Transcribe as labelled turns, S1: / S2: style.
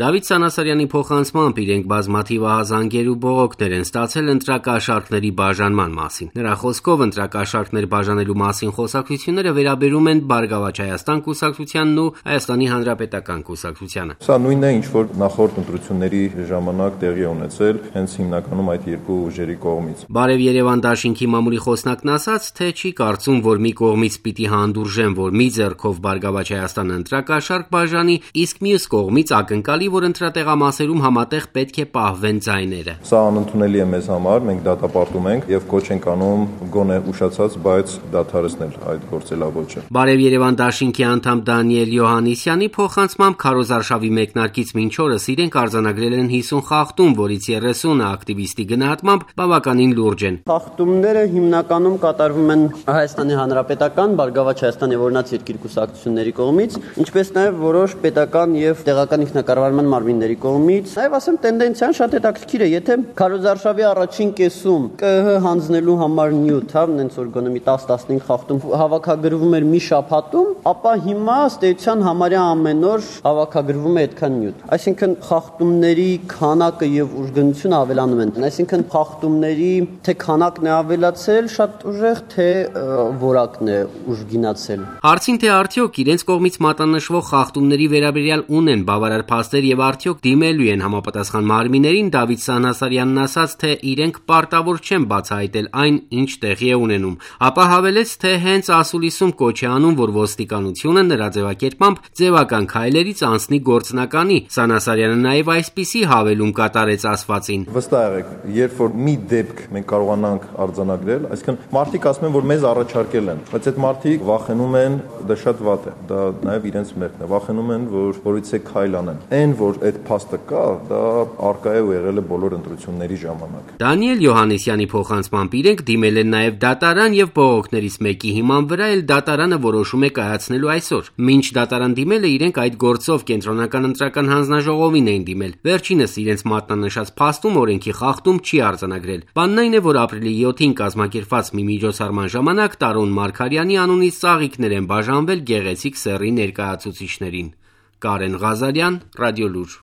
S1: Դավիթ Սանասարյանի փոխանցմամբ իրենք բազմաթիվ ահազանգեր ու բողոքներ են ստացել ընտրակաշառքների բաժանման մասին։ Նրա խոսքով ընտրակաշառքներ բաժանելու մասին խոսակցությունները վերաբերում են Բարգավաճ Հայաստան կուսակցությանն ու Հայաստանի Հանրապետական կուսակցությանը։
S2: Սա նույնն է, ինչ որ նախորդ ընտրությունների ժամանակ տեղի ունեցել հենց հիմնականում այդ երկու ուժերի կողմից։
S1: Բարև Երևան դաշինքի մամուլի խոսնակն ասաց, թե չի կարծում, որ մի կողմից պիտի հանդուրժեն, որ մի ձեռքով Բարգավաճ Հայաստանը ընտրակաշառք բաժանի, իսկ մյուս կողմից ակնկալի, որ ընտրատեղամասերում համատեղ պետք է պահվեն ձայները։
S2: Սա անընդունելի է մեզ համար, մենք դատապարտում ենք եւ կոչ ենք անում գոնե ուշացած, բայց դադարեցնել այդ գործելավոճը։
S1: Բարև Երևան դաշինքի անդամ Դանիել Յոհաննիսյանի փոխանցմամբ քարոզարշավի մեկնարկից մինչ օրս իրենք արձանագրել են 50 խախտում, որից 30-ը ակտիվիստի գնահատմամբ բավականին լուրջ են։
S3: Խախտումները հիմնականում կատարվում են Հայաստանի Հանրապետական, Բարգավաճ Հայաստան եւ Օրինաց երկիր կուսակցությունների կողմից, ինչպես նաեւ որոշ պետական եւ տեղական ինքնակառավարման մարմինների կողմից։ Նաեւ ասեմ, տենդենցիան շատ հետաքրքիր է, եթե քարոզարշավի առաջին կեսում ԿՀ հանձնելու համար նյութ, նենց որ գոնե մի 10-15 խախտում հավաքագրվում էր մի շաբաթում, ապա հիմա ըստ էության համարյա ամեն օր հավաքագրվում է այդքան նյութ։ Այսինքն խախտումների քանակը եւ ուժգնությունը ավելանում են։ Այսինքն խախտումների թե քանակն է ավելացել շատ ուժեղ, թե որակն է ուժգինացել։
S1: Հարցին թե արդյոք իրենց կողմից մատնանշվող խախտումների վերաբերյալ ունեն բավարար փաստեր եւ արդյոք դիմելու են համապատասխան մարմիններին, Դավիթ Սանասարյանն ասաց, թե իրենք պարտավոր չեն բացահայտել այն, ինչ տեղի է ունենում, ապա հավելեց, թե հենց ասուլիսում կոչ է անում, որ ոստիկանությունը նրա ձևակերպմամբ ձևական քայլերից անցնի գործնականի։ Սանասարյանը նաեւ այսպիսի հավելում կատարեց ասվածին։
S2: Վստահ եղեք, երբ որ մի դեպք մենք կարողանանք արձանագրել, այսինքն մարդիկ ասում են, որ մեզ առաջարկել են, բայց այդ մարդիկ վախենում են, դա շատ վատ է, դա նաեւ իրենց մեղքն է, վախենում են, որ որից է քայլ անեն։ Այն, որ այդ փաստը կա, դա արկա է ու եղել է բոլոր ընտրությունների ժամանակ։
S1: Դանիել Յոհաննիսյանի փոխանցմամբ իրենք դիմել են նաեւ դատարան եւ բողոքներից մեկի հիման վրա էլ դատարանը որոշում է կայացնելու այսօր։ Մինչ դատարան դիմելը իրենք այդ գործով կենտրոնական ընտրական հանձնաժողովին էին դիմել։ Վերջինս իրենց մատնանշած փաստում օրենքի խախտում չի արձանագրել։ Բանն այն է, որ ապրիլի 7-ին կազմակերպված մի միջոցառման ժամանակ Տարոն Մարգարյանի անունից ծաղիկներ են բաժանվել գեղեցիկ սեռի ներկայացուցիչներին։ Կարեն Ղազարյան, Ռադիոլուր։